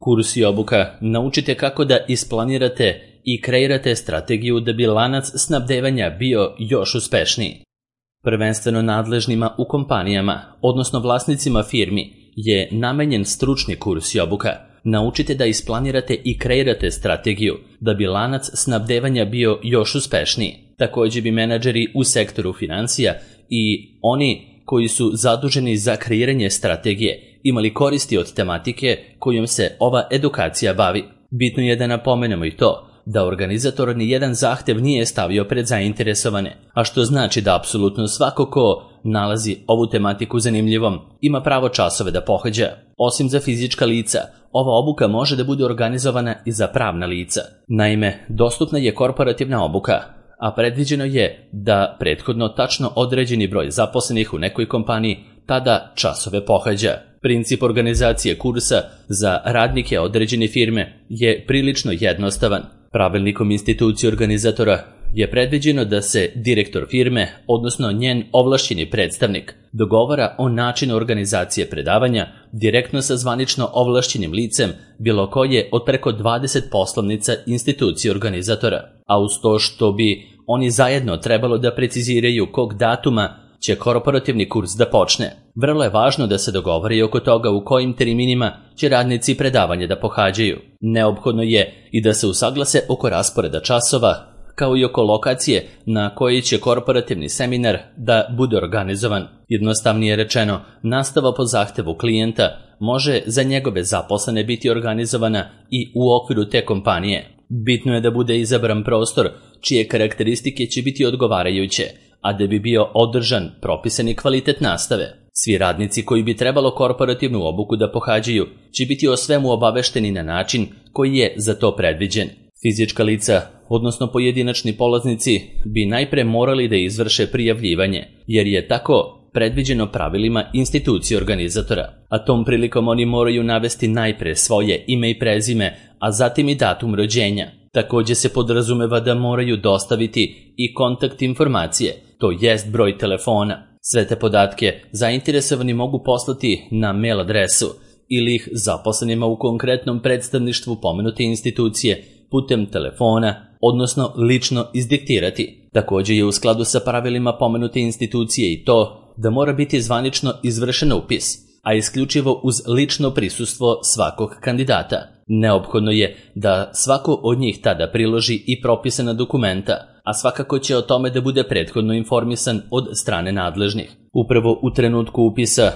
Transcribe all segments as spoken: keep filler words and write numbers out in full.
Kurs i obuka naučite kako da isplanirate i kreirate strategiju da bi lanac snabdevanja bio još uspešniji. Prvenstveno nadležnima u kompanijama, odnosno vlasnicima firmi, je namenjen stručni kurs i obuka. Naučite da isplanirate i kreirate strategiju da bi lanac snabdevanja bio još uspešniji. Također bi menadžeri u sektoru financija i oni koji su zaduženi za kreiranje strategije imali koristi od tematike kojom se ova edukacija bavi. Bitno je da napomenemo i to da organizator ni jedan zahtev nije stavio pred zainteresovane, a što znači da apsolutno svako ko nalazi ovu tematiku zanimljivom ima pravo časove da pohađa. Osim za fizička lica, ova obuka može da bude organizovana i za pravna lica. Naime, dostupna je korporativna obuka, a predviđeno je da prethodno tačno određeni broj zaposlenih u nekoj kompaniji tada časove pohađa. Princip organizacije kursa za radnike određene firme je prilično jednostavan. Pravilnikom institucije organizatora je predviđeno da se direktor firme, odnosno njen ovlašćeni predstavnik, dogovara o načinu organizacije predavanja direktno sa zvanično ovlašćenim licem bilo koje od preko dvadeset poslovnica institucije organizatora, a uz to što bi oni zajedno trebalo da preciziraju kog datuma će korporativni kurs da počne. Vrlo je važno da se dogovore i oko toga u kojim terminima će radnici predavanje da pohađaju. Neophodno je i da se usaglase oko rasporeda časova, kao i oko lokacije na kojoj će korporativni seminar da bude organizovan. Jednostavnije rečeno, nastava po zahtevu klijenta može za njegove zaposlene biti organizovana i u okviru te kompanije. Bitno je da bude izabran prostor čije karakteristike će biti odgovarajuće, a da bi bio održan propisani kvalitet nastave. Svi radnici koji bi trebalo korporativnu obuku da pohađaju će biti o svemu obavešteni na način koji je za to predviđen. Fizička lica, odnosno pojedinačni polaznici, bi najpre morali da izvrše prijavljivanje, jer je tako predviđeno pravilima institucije organizatora, a tom prilikom oni moraju navesti najpre svoje ime i prezime, a zatim i datum rođenja. Također se podrazumeva da moraju dostaviti i kontakt informacije, to jest broj telefona. Sve te podatke zainteresovani mogu poslati na mail adresu ili ih zaposlenima u konkretnom predstavništvu pomenute institucije putem telefona, odnosno lično izdiktirati. Također je u skladu sa pravilima pomenute institucije i to da mora biti zvanično izvršen upis, a isključivo uz lično prisustvo svakog kandidata. Neophodno je da svako od njih tada priloži i propisana dokumenta, a svakako će o tome da bude prethodno informisan od strane nadležnih. Upravo u trenutku upisa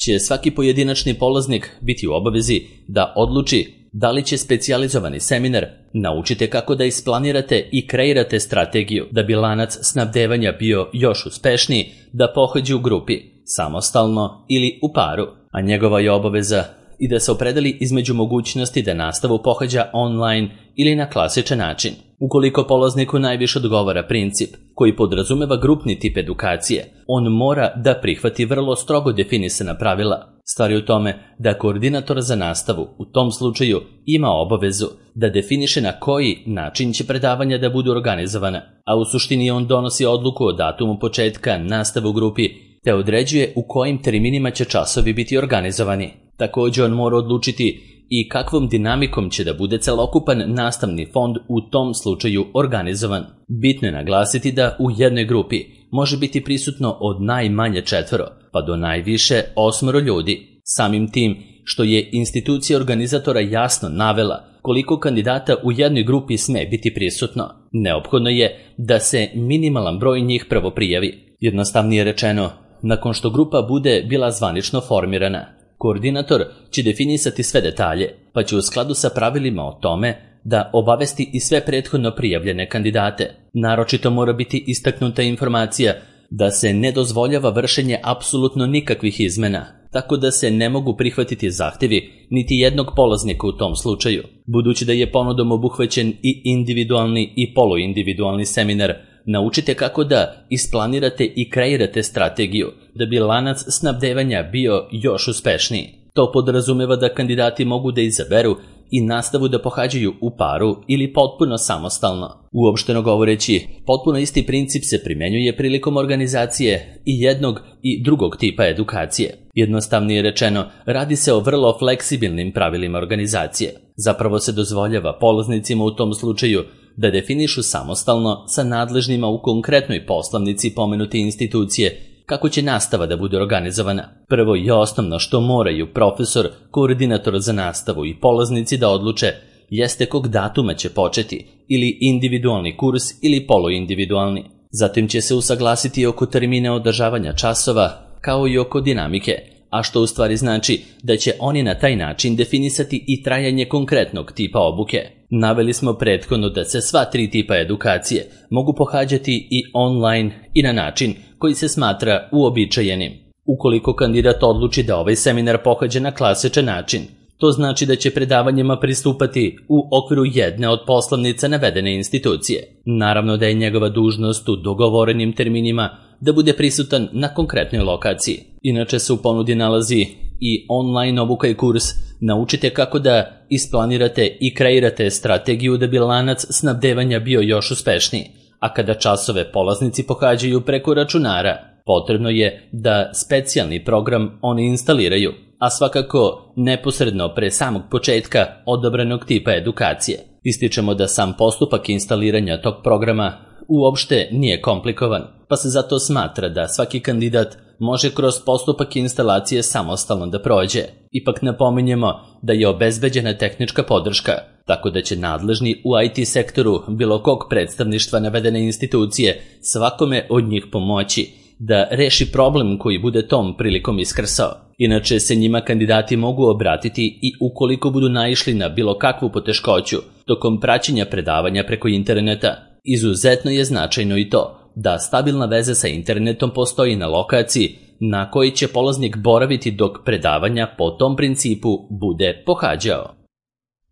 će svaki pojedinačni polaznik biti u obavezi da odluči da li će specijalizovani seminar naučite kako da isplanirate i kreirate strategiju da bi lanac snabdevanja bio još uspešniji, da pohađe u grupi, samostalno ili u paru, a njegova je obaveza i da se opredeli između mogućnosti da nastavu pohađa online ili na klasičan način. Ukoliko polazniku najviše odgovara princip koji podrazumeva grupni tip edukacije, on mora da prihvati vrlo strogo definisana pravila. Stvar je u tome da koordinator za nastavu u tom slučaju ima obavezu da definiše na koji način će predavanja da budu organizovana, a u suštini on donosi odluku o datumu početka nastave u grupi te određuje u kojim terminima će časovi biti organizovani. Također on mora odlučiti i kakvom dinamikom će da bude celokupan nastavni fond u tom slučaju organizovan. Bitno je naglasiti da u jednoj grupi može biti prisutno od najmanje četvoro, pa do najviše osmoro ljudi. Samim tim što je institucija organizatora jasno navela koliko kandidata u jednoj grupi sme biti prisutno, neophodno je da se minimalan broj njih prvo prijavi. Jednostavnije rečeno, nakon što grupa bude bila zvanično formirana, koordinator će definisati sve detalje, pa će u skladu sa pravilima o tome da obavesti i sve prethodno prijavljene kandidate. Naročito mora biti istaknuta informacija da se ne dozvoljava vršenje apsolutno nikakvih izmena, tako da se ne mogu prihvatiti zahtevi niti jednog polaznika u tom slučaju. Budući da je ponudom obuhvaćen i individualni i poluindividualni seminar, naučite kako da isplanirate i kreirate strategiju da bi lanac snabdevanja bio još uspešniji. To podrazumeva da kandidati mogu da izaberu i nastavu da pohađaju u paru ili potpuno samostalno. Uopšteno govoreći, potpuno isti princip se primenjuje prilikom organizacije i jednog i drugog tipa edukacije. Jednostavnije rečeno, radi se o vrlo fleksibilnim pravilima organizacije. Zapravo se dozvoljava polaznicima u tom slučaju da definišu samostalno sa nadležnima u konkretnoj poslovnici pomenute institucije kako će nastava da bude organizovana. Prvo i osnovno što moraju profesor, koordinator za nastavu i polaznici da odluče jeste kog datuma će početi, ili individualni kurs ili poluindividualni. Zatim će se usaglasiti oko termina održavanja časova, kao i oko dinamike, a što u stvari znači da će oni na taj način definisati i trajanje konkretnog tipa obuke. Naveli smo prethodno da se sva tri tipa edukacije mogu pohađati i online i na način koji se smatra uobičajenim. Ukoliko kandidat odluči da ovaj seminar pohađa na klasičan način, to znači da će predavanjima pristupati u okviru jedne od poslovnica navedene institucije. Naravno da je njegova dužnost u dogovorenim terminima da bude prisutan na konkretnoj lokaciji. Inače se u ponudi nalazi i online obuka i kurs Naučite kako da isplanirate i kreirate strategiju da bi lanac snabdevanja bio još uspešniji, a kada časove polaznici pohađaju preko računara, potrebno je da specijalni program oni instaliraju, a svakako neposredno pre samog početka odabranog tipa edukacije. Ističemo da sam postupak instaliranja tog programa uopšte nije komplikovan, pa se zato smatra da svaki kandidat može kroz postupak instalacije samostalno da prođe. Ipak napominjemo da je obezbeđena tehnička podrška, tako da će nadležni u I T sektoru bilo kog predstavništva navedene institucije svakome od njih pomoći da reši problem koji bude tom prilikom iskrsao. Inače se njima kandidati mogu obratiti i ukoliko budu naišli na bilo kakvu poteškoću tokom praćenja predavanja preko interneta. Izuzetno je značajno i to da stabilna veza sa internetom postoji na lokaciji na kojoj će polaznik boraviti dok predavanja po tom principu bude pohađao.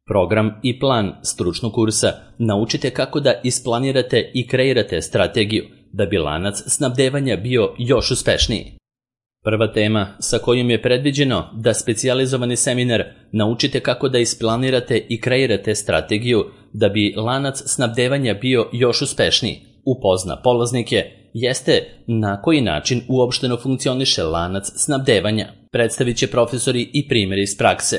Program i plan stručnog kursa Naučite kako da isplanirate i kreirate strategiju da bi lanac snabdevanja bio još uspešniji. Prva tema sa kojom je predviđeno da specijalizovani seminar Naučite kako da isplanirate i kreirate strategiju da bi lanac snabdevanja bio još uspešniji upozna polaznike jeste na koji način uopšteno funkcioniše lanac snabdevanja. Predstavit će profesori i primjeri iz prakse,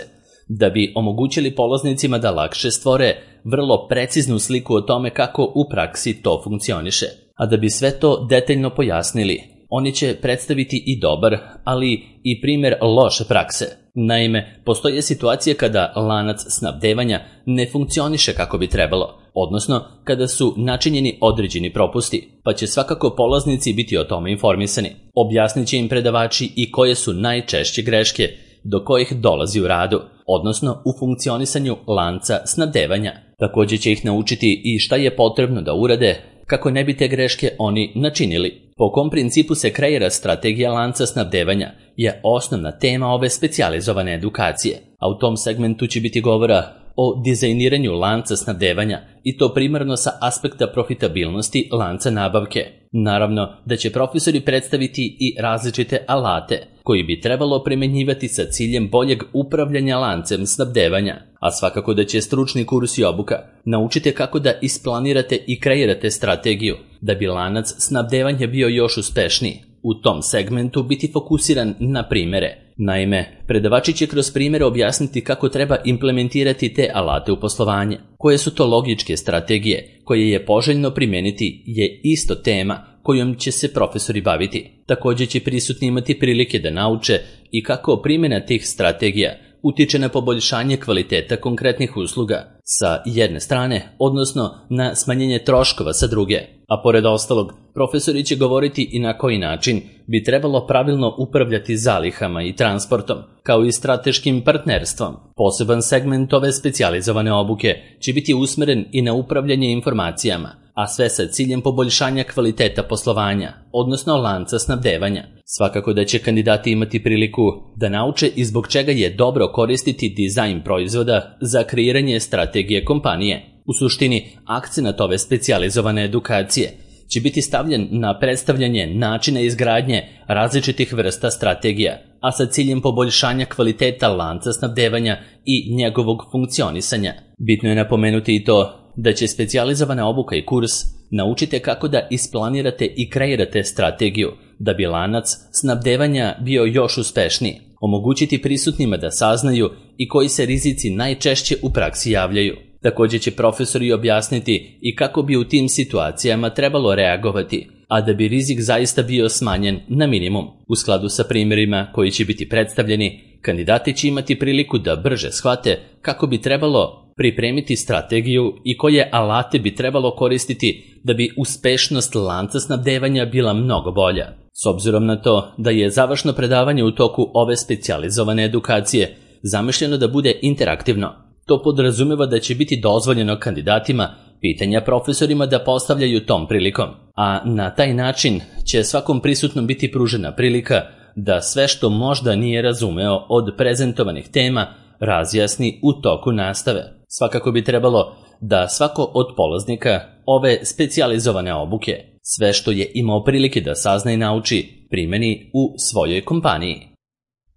da bi omogućili polaznicima da lakše stvore vrlo preciznu sliku o tome kako u praksi to funkcioniše. A da bi sve to detaljno pojasnili, oni će predstaviti i dobar, ali i primjer loše prakse. Naime, postoje situacije kada lanac snabdevanja ne funkcioniše kako bi trebalo, odnosno kada su načinjeni određeni propusti, pa će svakako polaznici biti o tome informisani. Objasnit će im predavači i koje su najčešće greške do kojih dolazi u radu, odnosno u funkcionisanju lanca snabdevanja. Također će ih naučiti i šta je potrebno da urade kako ne bi te greške oni načinili. Po kom principu se kreira strategija lanca snabdevanja je osnovna tema ove specijalizovane edukacije, a u tom segmentu će biti govora o dizajniranju lanca snabdevanja i to primarno sa aspekta profitabilnosti lanca nabavke. Naravno da će profesori predstaviti i različite alate koji bi trebalo primenjivati sa ciljem boljeg upravljanja lancem snabdevanja, a svakako da će stručni kurs i obuka Naučite kako da isplanirate i kreirate strategiju da bi lanac snabdevanja bio još uspešniji. U tom segmentu biti fokusiran na primere. Naime, predavači će kroz primere objasniti kako treba implementirati te alate u poslovanje. Koje su to logičke strategije koje je poželjno primijeniti je isto tema kojom će se profesori baviti. Također će prisutni imati prilike da nauče i kako primjena tih strategija utiče na poboljšanje kvaliteta konkretnih usluga sa jedne strane, odnosno na smanjenje troškova sa druge. A pored ostalog, profesori će govoriti i na koji način bi trebalo pravilno upravljati zalihama i transportom, kao i strateškim partnerstvom. Poseban segment ove specijalizovane obuke će biti usmeren i na upravljanje informacijama, a sve sa ciljem poboljšanja kvaliteta poslovanja, odnosno lanca snabdevanja. Svakako da će kandidati imati priliku da nauče i zbog čega je dobro koristiti dizajn proizvoda za kreiranje strategije kompanije. U suštini, akcenat ove specijalizovane edukacije će biti stavljen na predstavljanje načina izgradnje različitih vrsta strategija a sa ciljem poboljšanja kvaliteta lanca snabdevanja i njegovog funkcionisanja. Bitno je napomenuti i to da će specijalizovana obuka i kurs naučite kako da isplanirate i kreirate strategiju da bi lanac snabdevanja bio još uspešniji, omogućiti prisutnima da saznaju i koji se rizici najčešće u praksi javljaju. Također će profesori objasniti i kako bi u tim situacijama trebalo reagovati, a da bi rizik zaista bio smanjen na minimum. U skladu sa primjerima koji će biti predstavljeni, kandidati će imati priliku da brže shvate kako bi trebalo pripremiti strategiju i koje alate bi trebalo koristiti da bi uspešnost lanca snabdevanja bila mnogo bolja. S obzirom na to da je završno predavanje u toku ove specijalizovane edukacije zamišljeno da bude interaktivno, to podrazumeva da će biti dozvoljeno kandidatima pitanja profesorima da postavljaju tom prilikom, a na taj način će svakom prisutnom biti pružena prilika da sve što možda nije razumeo od prezentovanih tema razjasni u toku nastave. Svakako bi trebalo da svako od polaznika ove specijalizovane obuke sve što je imao prilike da sazna i nauči primeni u svojoj kompaniji.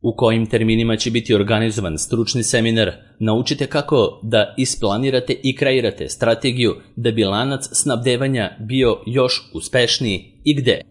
U kojim terminima će biti organizovan stručni seminar, naučite kako da isplanirate i kreirate strategiju da bi lanac snabdevanja bio još uspešniji i gde.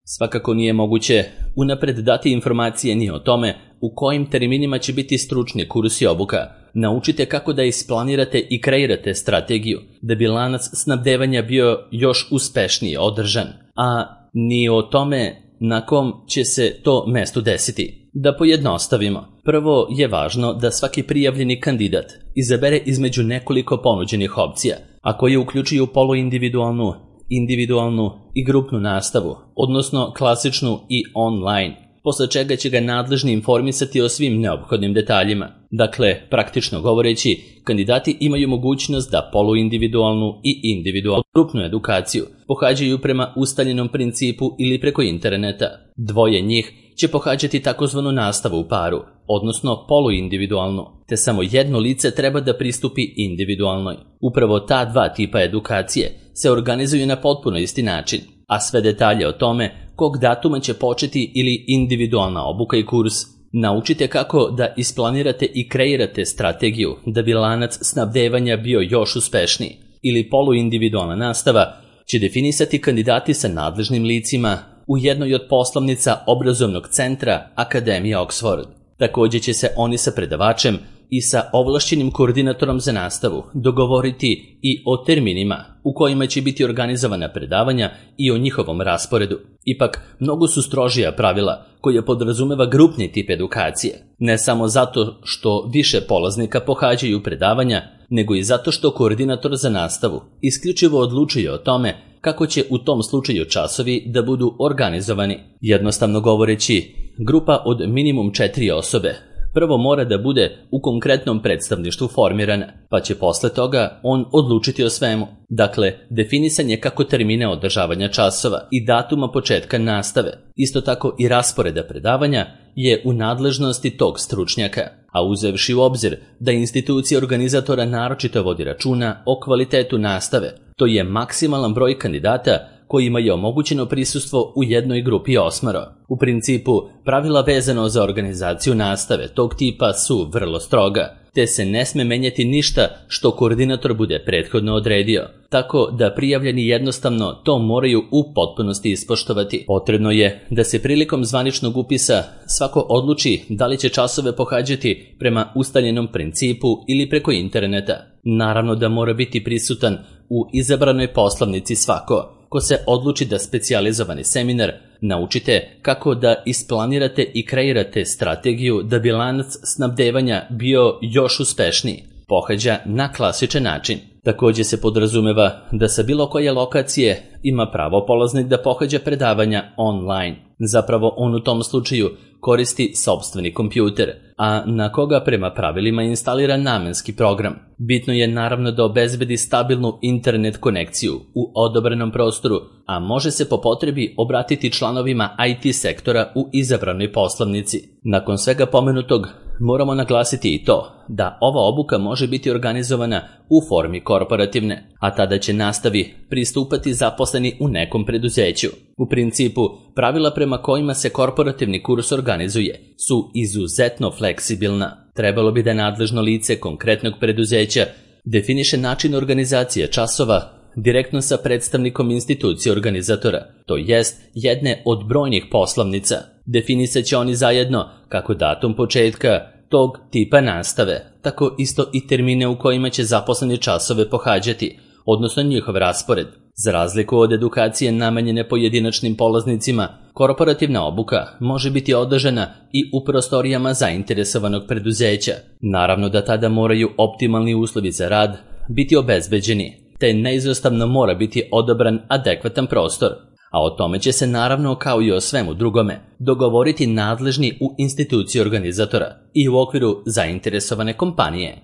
Svakako nije moguće unapred dati informacije ni o tome u kojim terminima će biti stručni kurs i obuka. Naučite kako da isplanirate i kreirate strategiju da bi lanac snabdevanja bio još uspešnije održan, a ni o tome na kom će se to mesto desiti. Da pojednostavimo, prvo je važno da svaki prijavljeni kandidat izabere između nekoliko ponuđenih opcija, a koje uključuju poluindividualnu, individualnu i grupnu nastavu, odnosno klasičnu i online, posle čega će ga nadležni informisati o svim neophodnim detaljima. Dakle, praktično govoreći, kandidati imaju mogućnost da poluindividualnu i individualnu grupnu edukaciju pohađaju prema ustaljenom principu ili preko interneta. Dvoje njih će pohađati takozvanu nastavu u paru, odnosno poluindividualnu, te samo jedno lice treba da pristupi individualnoj. Upravo ta dva tipa edukacije se organizuju na potpuno isti način, a sve detalje o tome kog datuma će početi ili individualna obuka i kurs, naučite kako da isplanirate i kreirate strategiju da bi lanac snabdevanja bio još uspešniji, ili poluindividualna nastava će definisati kandidati sa nadležnim licima u jednoj od poslovnica obrazovnog centra Akademije Oxford. Također će se oni sa predavačem i sa ovlašćenim koordinatorom za nastavu dogovoriti i o terminima u kojima će biti organizovana predavanja i o njihovom rasporedu. Ipak, mnogo su strožija pravila koja podrazumeva grupni tip edukacije, ne samo zato što više polaznika pohađaju predavanja, nego i zato što koordinator za nastavu isključivo odlučuje o tome kako će u tom slučaju časovi da budu organizovani. Jednostavno govoreći, grupa od minimum četiri osobe prvo mora da bude u konkretnom predstavništvu formirana, pa će posle toga on odlučiti o svemu. Dakle, definisanje kako termine održavanja časova i datuma početka nastave, isto tako i rasporeda predavanja, je u nadležnosti tog stručnjaka, a uzevši u obzir da institucija organizatora naročito vodi računa o kvalitetu nastave, to je maksimalan broj kandidata kojima je omogućeno prisustvo u jednoj grupi osmoro. U principu, pravila vezano za organizaciju nastave tog tipa su vrlo stroga, te se ne sme menjati ništa što koordinator bude prethodno odredio, tako da prijavljeni jednostavno to moraju u potpunosti ispoštovati. Potrebno je da se prilikom zvaničnog upisa svako odluči da li će časove pohađati prema ustaljenom principu ili preko interneta. Naravno da mora biti prisutan u izabranoj poslovnici svako ko se odluči da specijalizovani seminar naučite kako da isplanirate i kreirate strategiju da bi lanac snabdevanja bio još uspešniji, pohađa na klasičan način. Također se podrazumeva da sa bilo koje lokacije ima pravo polaznik da pohađa predavanja online. Zapravo on u tom slučaju koristi sopstveni kompjuter, a na koga prema pravilima instalira namenski program. Bitno je naravno da obezbedi stabilnu internet konekciju u odobranom prostoru, a može se po potrebi obratiti članovima I T sektora u izabranoj poslovnici. Nakon svega pomenutog, moramo naglasiti i to da ova obuka može biti organizovana u formi korporativne, a tada će nastavi pristupati zaposleni u nekom preduzeću. U principu, pravila prema kojima se korporativni kurs organizuje su izuzetno fleksibilna. Trebalo bi da nadležno lice konkretnog preduzeća definiše način organizacije časova direktno sa predstavnikom institucije organizatora, to jest jedne od brojnih poslovnica. Definisat će oni zajedno kako datum početka tog tipa nastave, tako isto i termine u kojima će zaposleni časove pohađati, odnosno njihov raspored. Za razliku od edukacije namenjene pojedinačnim polaznicima, korporativna obuka može biti održana i u prostorijama zainteresovanog preduzeća. Naravno da tada moraju optimalni uslovi za rad biti obezbeđeni, te neizostavno mora biti odabran adekvatan prostor, a o tome će se naravno kao i o svemu drugome dogovoriti nadležni u instituciji organizatora i u okviru zainteresovane kompanije.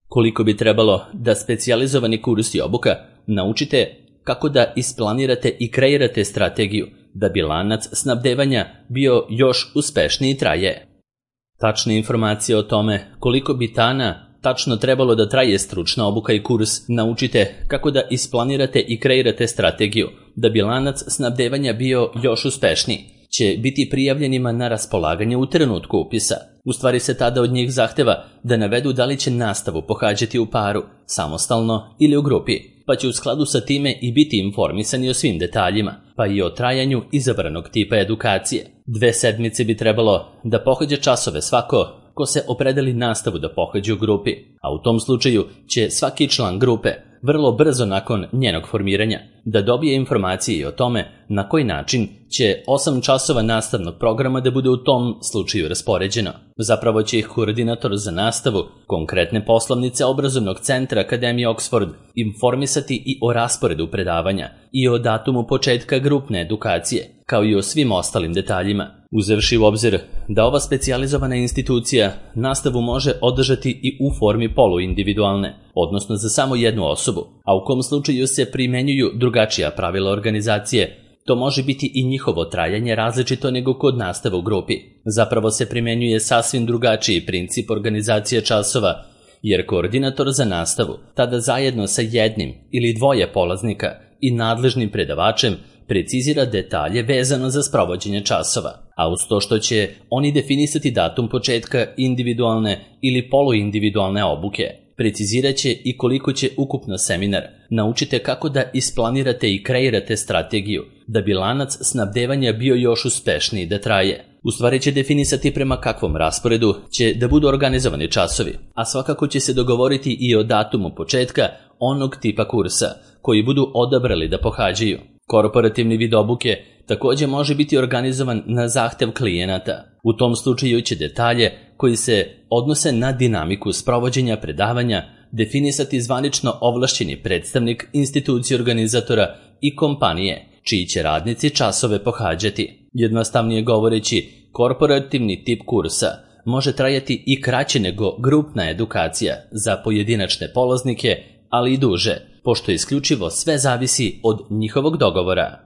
Koliko bi trebalo da specijalizovani kurs i obuka naučite kako da isplanirate i kreirate strategiju da bi lanac snabdevanja bio još uspešniji traje. Tačne informacije o tome koliko bi dana tačno trebalo da traje stručna obuka i kurs naučite kako da isplanirate i kreirate strategiju da bi lanac snabdevanja bio još uspešniji će biti prijavljenima na raspolaganje u trenutku upisa. U stvari se tada od njih zahteva da navedu da li će nastavu pohađati u paru, samostalno ili u grupi, pa će u skladu sa time i biti informisani o svim detaljima, pa i o trajanju izabranog tipa edukacije. Dve sedmice bi trebalo da pohađa časove svako ko se opredeli nastavu da pohađa u grupi, a u tom slučaju će svaki član grupe vrlo brzo nakon njenog formiranja da dobije informacije o tome na koji način će osam časova nastavnog programa da bude u tom slučaju raspoređeno. Zapravo će ih koordinator za nastavu konkretne poslovnice obrazovnog centra Akademije Oxford informisati i o rasporedu predavanja i o datumu početka grupne edukacije, kao i o svim ostalim detaljima. Uzevši u obzir da ova specijalizovana institucija nastavu može održati i u formi poluindividualne, odnosno za samo jednu osobu, a u kom slučaju se primenjuju drugačija pravila organizacije, to može biti i njihovo trajanje različito nego kod nastave u grupi. Zapravo se primenjuje sasvim drugačiji princip organizacije časova, jer koordinator za nastavu tada zajedno sa jednim ili dvoje polaznika i nadležnim predavačem precizira detalje vezano za sprovođenje časova, a uz to što će oni definisati datum početka individualne ili poluindividualne obuke, precizirat će i koliko će ukupno seminar. Naučite kako da isplanirate i kreirate strategiju da bi lanac snabdevanja bio još uspešniji da traje. U stvari će definisati prema kakvom rasporedu će da budu organizovani časovi, a svakako će se dogovoriti i o datumu početka onog tipa kursa koji budu odabrali da pohađaju. Korporativni vid obuke također može biti organizovan na zahtev klijenata. U tom slučaju će detalje koji se odnose na dinamiku sprovođenja predavanja definisati zvanično ovlašćeni predstavnik institucije organizatora i kompanije, čiji će radnici časove pohađati. Jednostavnije govoreći, korporativni tip kursa može trajati i kraće nego grupna edukacija za pojedinačne polaznike, ali i duže, pošto isključivo sve zavisi od njihovog dogovora.